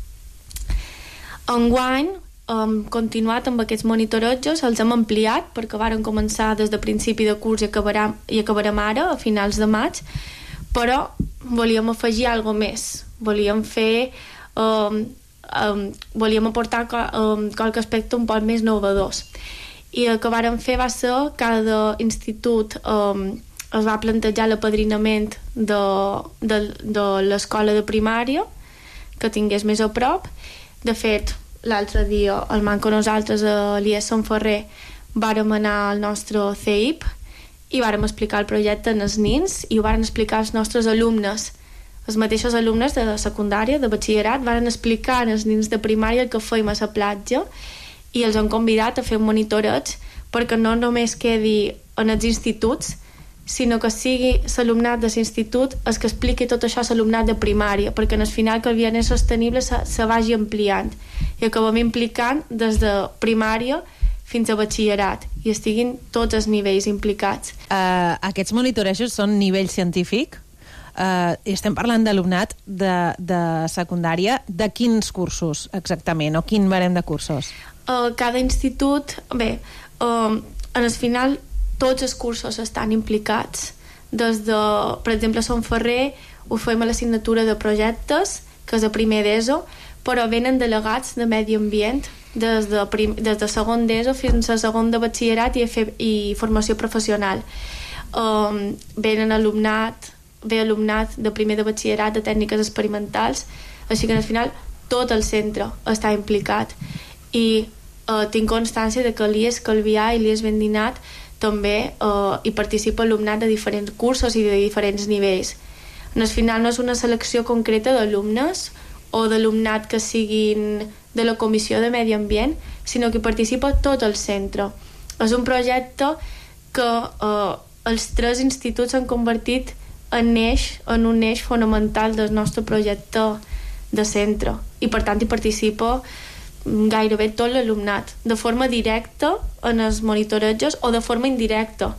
Enguany hem continuat amb aquests monitoretges, els hem ampliat perquè varen començar des de principi de curs i acabarem ara, a finals de maig, però volíem afegir alguna més. Volíem fer... volíem aportar qualque aspecte un poc més innovadors. I el que vàrem fer va ser cada institut es va plantejar l'apadrinament de l'escola de primària que tingués més a prop. De fet, l'altre dia, al manco nosaltres a l'IES Sant Ferrer, vàrem anar al nostre CEIP i vàrem explicar el projecte als nins i ho varen explicar als nostres alumnes. Els mateixos alumnes de secundària, de batxillerat, varen explicar als nins de primària el que fèiem a la platja i els han convidat a fer un monitoreig perquè no només quedi en els instituts, sinó que sigui l'alumnat de l'institut el que expliqui tot això a l'alumnat de primària, perquè al final que el Calvianes Sostenible se vagi ampliant i acabem implicant des de primària fins a batxillerat i estiguin tots els nivells implicats. Aquests monitorejos són nivell científic? Estem parlant d'alumnat de secundària. De quins cursos exactament o quin barem de cursos? Cada institut, bé, en el final tots els cursos estan implicats. Des de, per exemple, a Sant Ferrer ho fem a l'assignatura de projectes, que és a primer d'ESO, però venen delegats de medi ambient des de segon d'ESO fins a segon de batxillerat i formació professional. Ve alumnat de primer de batxillerat de tècniques experimentals, Així que al final tot el centre està implicat i tinc constància de que l'IES Calvià i l'IES Vendinat també hi participa alumnat de diferents cursos i de diferents nivells. Al final no és una selecció concreta d'alumnes o d'alumnat que siguin de la Comissió de Medi Ambient, sinó que participa tot el centre. És un projecte que els 3 instituts s'han convertit en un eix fonamental del nostre projecte de centre i per tant hi participa gairebé tot l'alumnat, de forma directa en els monitorejos o de forma indirecta,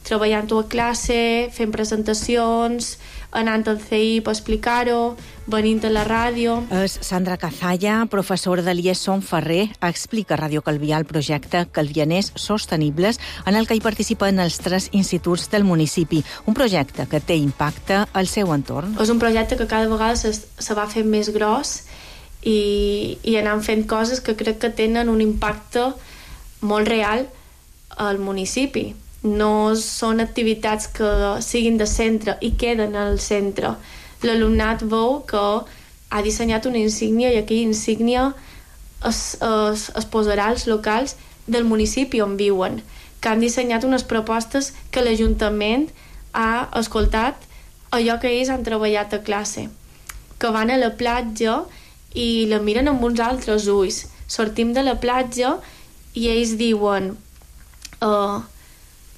treballant-ho a classe, fent presentacions, anant al CI per explicar-ho, venint a la ràdio. És Sandra Cazalla, professora de l'IES Som Ferrer, explica a Ràdio Calvià el projecte Calvianers Sostenibles, en el que hi participen els 3 instituts del municipi. Un projecte que té impacte al seu entorn. És un projecte que cada vegada se va fent més gros i anant fent coses que crec que tenen un impacte molt real al municipi. No són activitats que siguin de centre i queden al centre. L'alumnat veu que ha dissenyat una insígnia i aquella insígnia es posarà als locals del municipi on viuen, que han dissenyat unes propostes que l'Ajuntament ha escoltat allò que ells han treballat a classe, que van a la platja i la miren amb uns altres ulls. Sortim de la platja i ells diuen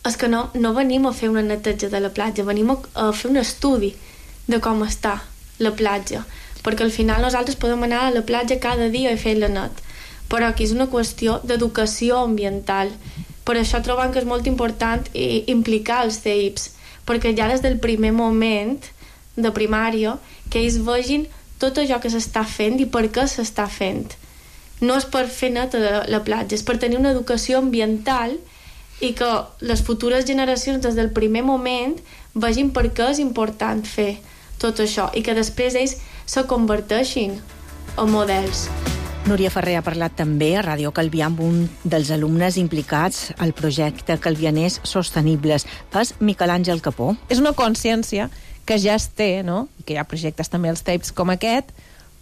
és que no venim a fer una neteja de la platja, venim a fer un estudi de com està la platja, perquè al final nosaltres podem anar a la platja cada dia i fer-la net, però aquí és una qüestió d'educació ambiental. Per això trobem que és molt important implicar els CEIPs, perquè ja des del primer moment de primària que ells vegin tot allò que s'està fent i per què s'està fent. No és per fer neta la platja, és per tenir una educació ambiental i que les futures generacions des del primer moment vegin per què és important fer tot això i que després ells se converteixin en models. Núria Ferrer ha parlat també a Ràdio Calvià amb un dels alumnes implicats al projecte Calvianers Sostenibles. És Miquel Àngel Capó. És una consciència que ja es té, no? I que hi ha projectes també als TAPES com aquest,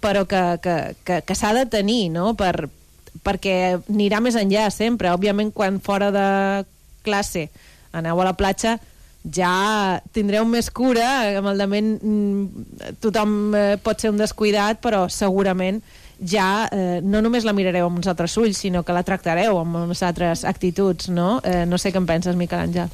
però que s'ha de tenir, no? Perquè anirà més enllà sempre. Òbviament, quan fora de classe aneu a la platja, ja tindreu més cura, amb el dement tothom pot ser un descuidat, però segurament ja no només la mirareu amb uns altres ulls, sinó que la tractareu amb unes altres actituds, no? No sé què en penses, Miquel Àngel.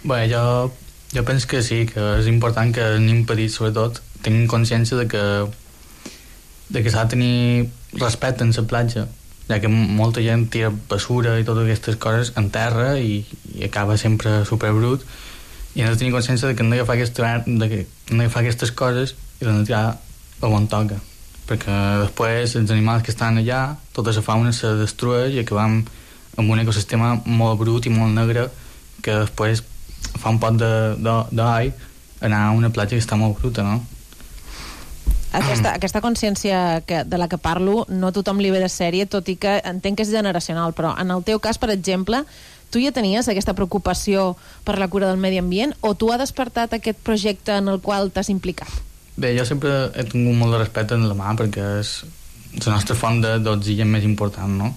Bé, jo penso que sí, que és important que els nens petits, sobretot, tinguin consciència de que s'ha de tenir respecte en la platja, ja que molta gent tira basura i totes aquestes coses en terra i acaba sempre superbrut, i hem de tenir consciència de que hem d'agafar aquestes coses i les hem de tirar on toca, perquè després els animals que estan allà, tota la fauna se destrueix i acabam amb un ecosistema molt brut i molt negre que després fa un pot d'ai anar a una platja que està molt bruta, no? Aquesta consciència de la que parlo no a tothom li ve de sèrie, tot i que entenc que és generacional, però en el teu cas, per exemple, tu ja tenies aquesta preocupació per la cura del medi ambient o tu ha despertat aquest projecte en el qual t'has implicat? Bé, jo sempre he tingut molt de respecte en la mà perquè és la nostra font d'oxigen més important, no?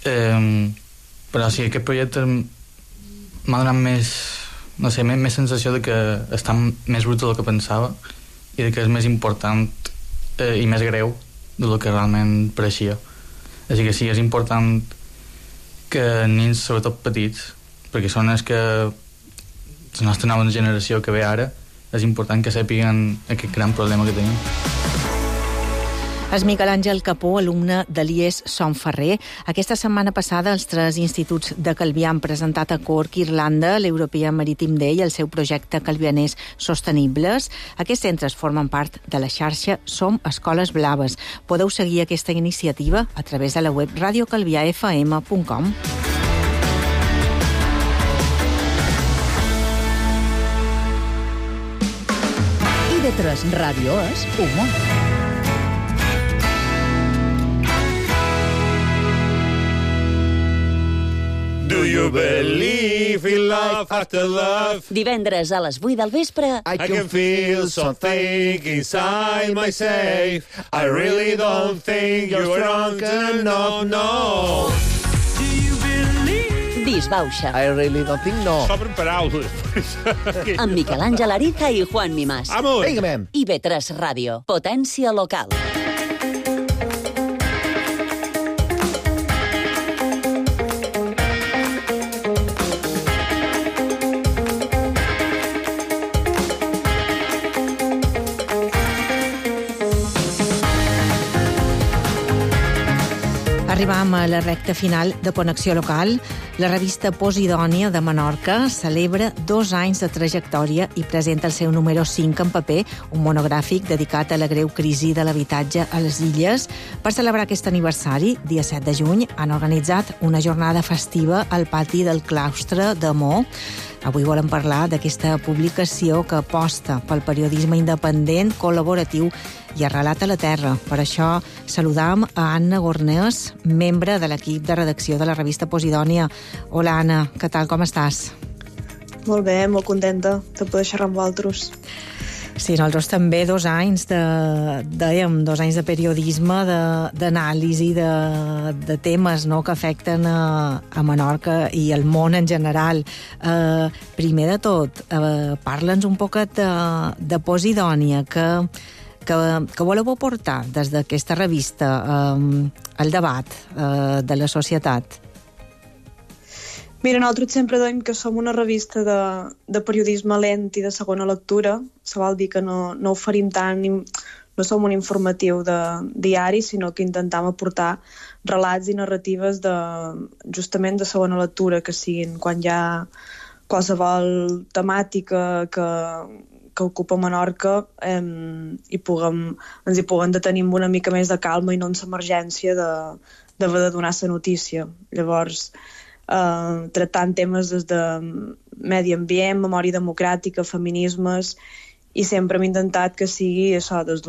Però sí, aquest projecte m'ha donat més sensació de que està més brut del que pensava i de que és més important i més greu del que realment pareixia. Així que sí, és important que nens, sobretot petits, perquè són els que la nostra nova generació que ve ara, és important que sàpiguen aquest gran problema que tenim. És Miquel Àngel Capó, alumne de l'IES Som Ferrer. Aquesta setmana passada els 3 instituts de Calvià han presentat a Cork, Irlanda, l'European Maritime Day i el seu projecte Calvianers Sostenibles. Aquests centres formen part de la xarxa Som Escoles Blaves. Podeu seguir aquesta iniciativa a través de la web radiocalviafm.com. IB3 Ràdio és humor. Do you believe in love after love? Divendres a les 8 del vespre. I can feel something inside myself. I really don't think you're strong enough, no. Disbauxa. I really don't think no. S'obren paraules. Amb Miquel Àngel Ariza i Juan Mimàs. Vamos. Vinga, IB3 Ràdio. Potència local. Arribam a la recta final de Connexió Local. La revista Posidònia de Menorca celebra 2 anys de trajectòria i presenta el seu número 5 en paper, un monogràfic dedicat a la greu crisi de l'habitatge a les illes. Per celebrar aquest aniversari, dia 7 de juny, han organitzat una jornada festiva al pati del claustre de Mo. Avui volem parlar d'aquesta publicació que aposta pel periodisme independent, col·laboratiu i arrelat a la terra. Per això saludam a Anna Gornés, membre de l'equip de redacció de la revista Posidònia. Hola, Anna, què tal, com estàs? Molt bé, molt contenta de poder xerrar amb vosaltres. Sí, nosaltres també 2 anys dèiem 2 anys de periodisme, d'anàlisi de temes, no?, que afecten a Menorca i al món en general. Primer de tot, parla'ns un poquet de Posidònia, que voleu aportar des d'aquesta revista al debat de la societat. Mira, nosaltres sempre dèiem que som una revista de periodisme lent i de segona lectura. Això vol dir que no oferim tant, no som un informatiu de diari, sinó que intentam aportar relats i narratives justament de segona lectura, que siguin quan hi ha qualsevol temàtica que ocupa Menorca ens hi puguem detenir amb una mica més de calma i no en l'emergència d'haver de donar la notícia. Llavors, tractant temes des de medi ambient, memòria democràtica, feminismes, i sempre hem intentat que sigui això des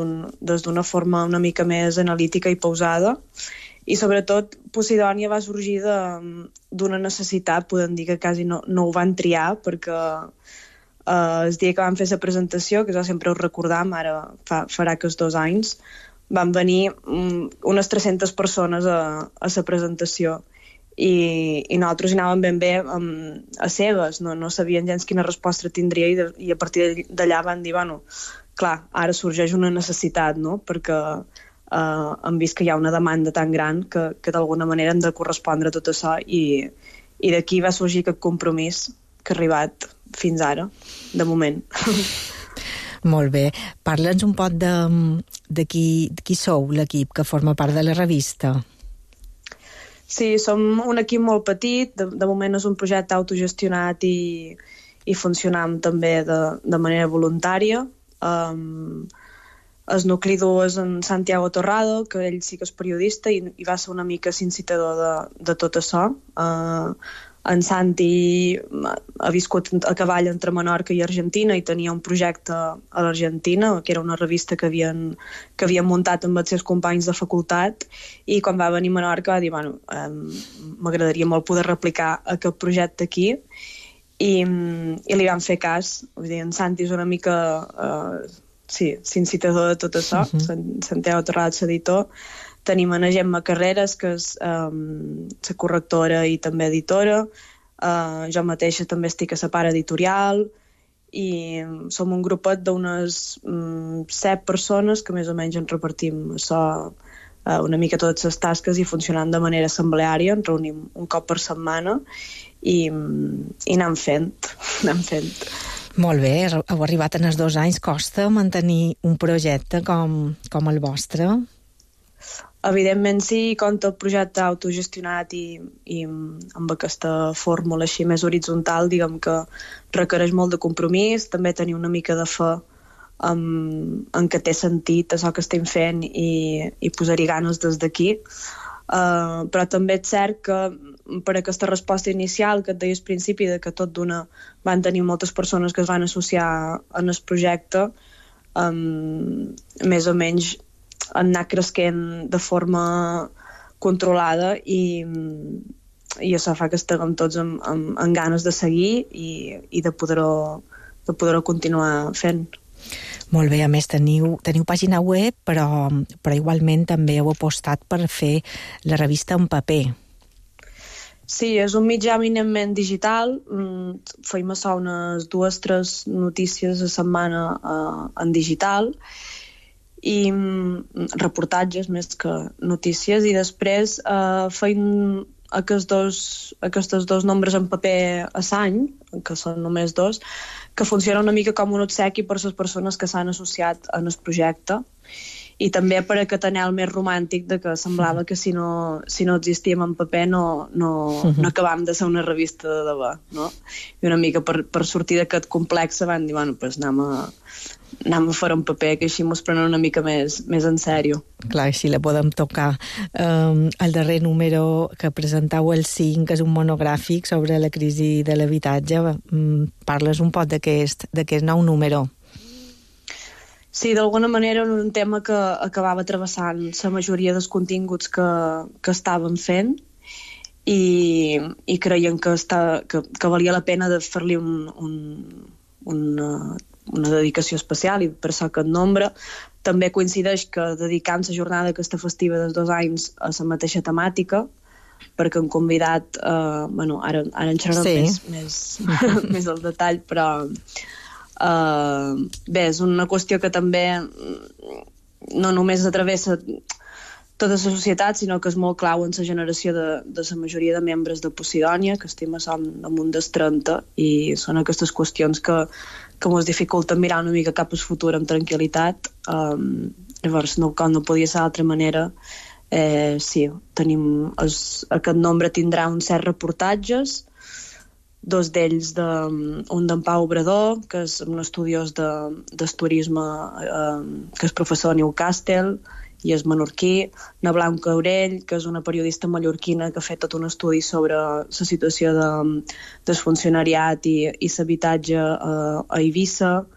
d'una forma una mica més analítica i pausada. I sobretot Posidònia va sorgir d'una necessitat, podem dir que quasi no ho van triar, perquè el dia que vam fer la presentació, que jo sempre ho recordam, ara farà que 2 anys, van venir unes 300 persones a la presentació. I nosaltres hi anàvem ben bé a cegues, no sabien gens quina resposta tindria i a partir d'allà van dir, bueno, clar, ara sorgeix una necessitat, no?, perquè hem vist que hi ha una demanda tan gran que d'alguna manera hem de correspondre a tot això i d'aquí va sorgir aquest compromís que ha arribat fins ara, de moment. Molt bé. Parla'ns un poc de qui sou l'equip que forma part de la revista. Sí, som un equip molt petit, de moment és un projecte autogestionat i funcionam també de manera voluntària. El nucli dur és en Santiago Torrado, que ell sí que és periodista i va ser una mica incitador de tot això. En Santi ha viscut a cavall entre Menorca i Argentina i tenia un projecte a l'Argentina, que era una revista que havien muntat amb els seus companys de facultat, i quan va venir a Menorca va dir, bueno, m'agradaria molt poder replicar aquest projecte aquí, i li van fer cas. Vull dir, en Santi és una mica incitador de tot això, Santiago Torrado és editor. Tenim a Gemma Carreras, que és la correctora i també editora. Jo mateixa també estic a la part editorial i som un grupet d'unes 7 persones que més o menys ens repartim això, una mica totes les tasques i funcionant de manera assembleària. Ens reunim un cop per setmana i anem fent. Molt bé, heu arribat en els 2 anys. Costa mantenir un projecte com el vostre? Evidentment sí, compta el projecte autogestionat i amb aquesta fórmula així més horitzontal, diguem que requereix molt de compromís, també tenir una mica de fe en que té sentit això que estem fent i posar-hi ganes des d'aquí. Però també és cert que per aquesta resposta inicial que et deia al principi de que tot d'una van tenir moltes persones que es van associar en el projecte, més o menys han anat cresquent de forma controlada i i això fa que estiguem tots amb ganes de seguir i de poder-ho continuar fent. Molt bé, a més teniu pàgina web, però igualment també heu apostat per fer la revista en paper. Sí, és un mitjà eminentment digital. Feim això unes 2-3 notícies a setmana en digital i reportatges més que notícies, i després feim aquests dos nombres en paper a l'any, que són només 2, que funciona una mica com un obsequi per les persones que s'han associat en el projecte, i també per aquest anhel més romàntic de que semblava que si no existíem en paper no acabàvem de ser una revista de debò, no? I una mica per sortir d'aquest complex van dir, bueno, pues anem a fer un paper, que així mos prenen una mica més en sèrio. Clar, així la podem tocar. El darrer número que presentau, el 5, és un monogràfic sobre la crisi de l'habitatge. Parles un poc d'aquest nou número. Sí, d'alguna manera era un tema que acabava travessant la majoria dels continguts que estàvem fent i creiem que valia la pena de fer-li una dedicació especial, i per això aquest nombre. També coincideix que dedicant la jornada aquesta festiva dels 2 anys a la mateixa temàtica, perquè hem convidat, ara en xerrarem més al detall, però bé, és una qüestió que també no només travessa tota la societat, sinó que és molt clau en la generació de la majoria de membres de Posidònia, que estem damunt dels 30, i són aquestes qüestions que ens dificulten mirar una mica cap al futur amb tranquil·litat. Llavors, com no podia ser d'altra manera, sí, aquest nombre tindrà uns 7 reportatges, 2 d'ells un d'en Pau Obrador, que és un estudiós del turisme, que és professor a Newcastle i és menorquí, na Blanca Aurell, que és una periodista mallorquina que ha fet tot un estudi sobre la situació del funcionariat i l'habitatge a Eivissa.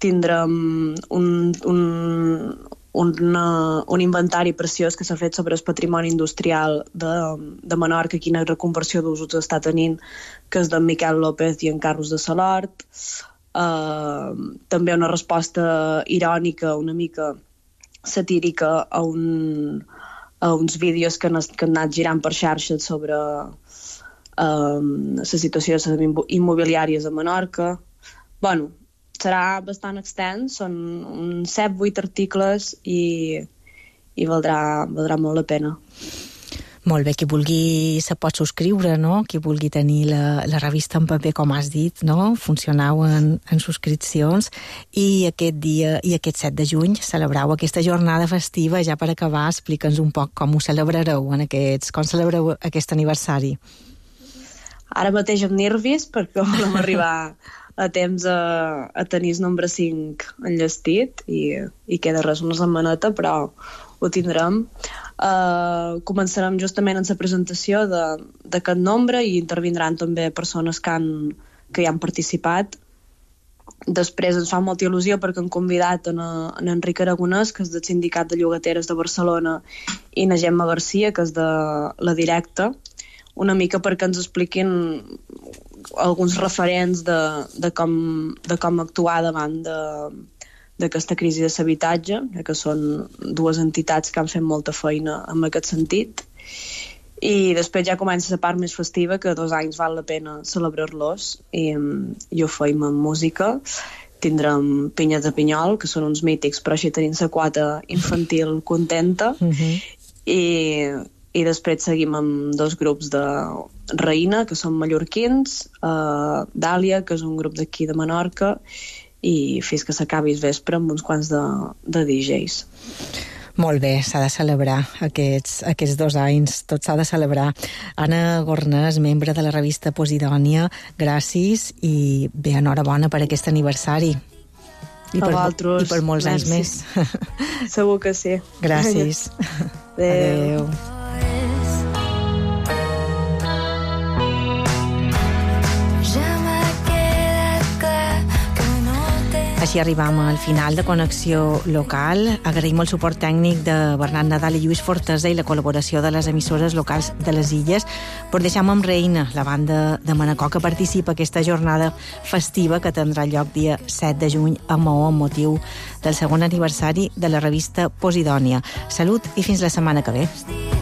Tindrem un inventari preciós que s'ha fet sobre el patrimoni industrial de Menorca, quina reconversió d'usos està tenint, que és d'en Miquel López i en Carlos de Salort. També una resposta irònica, una mica satírica, a uns vídeos que han anat girant per xarxes sobre la situació de les immobiliàries a Menorca. Bueno, serà bastant extens, són uns 7-8 articles i valdrà molt la pena. Molt bé, qui vulgui se pot subscriure, no? Qui vulgui tenir la revista en paper, com has dit, no? Funcionau en subscripcions, i aquest 7 de juny celebrau aquesta jornada festiva. Ja per acabar, explica'ns un poc com ho celebrareu com celebreu aquest aniversari. Ara mateix amb nervis, perquè volem arribar a temps a tenir el nombre 5 enllestit i queda res una setmaneta, però ho tindrem. Començarem justament en la presentació d'aquest nombre i intervindran també persones que hi han participat. Després ens fa molta il·lusió perquè hem convidat en Enric Aragonès, que és del Sindicat de Llogateres de Barcelona, i na Gemma Garcia, que és de La Directa, una mica perquè ens expliquin alguns referents de com actuar davant d'aquesta crisi de l'habitatge, que són 2 entitats que han fet molta feina en aquest sentit. I després ja comença la part més festiva, que 2 anys val la pena celebrar-los, i ho feim amb música. Tindrem Pinyes de Pinyol, que són uns mítics, però així tenim la quota infantil contenta. I després seguim amb 2 grups de Reina, que són mallorquins, Dàlia, que és un grup d'aquí de Menorca, i fins que s'acabi el vespre amb uns quants de DJs. Molt bé, s'ha de celebrar aquests 2 anys, tot s'ha de celebrar. Anna Gornès, membre de la revista Posidònia, gràcies i bé, enhorabona per aquest aniversari. I per molts anys més. Segur que sí. Gràcies. Adéu. així arribam al final de Connexió Local. Agraïm el suport tècnic de Bernat Nadal i Lluís Fortesa i la col·laboració de les emissores locals de les Illes. Per deixar amb Reina, la banda de Manacor, que participa aquesta jornada festiva que tindrà lloc dia 7 de juny a Maó amb motiu del segon aniversari de la revista Posidònia. Salut i fins la setmana que ve.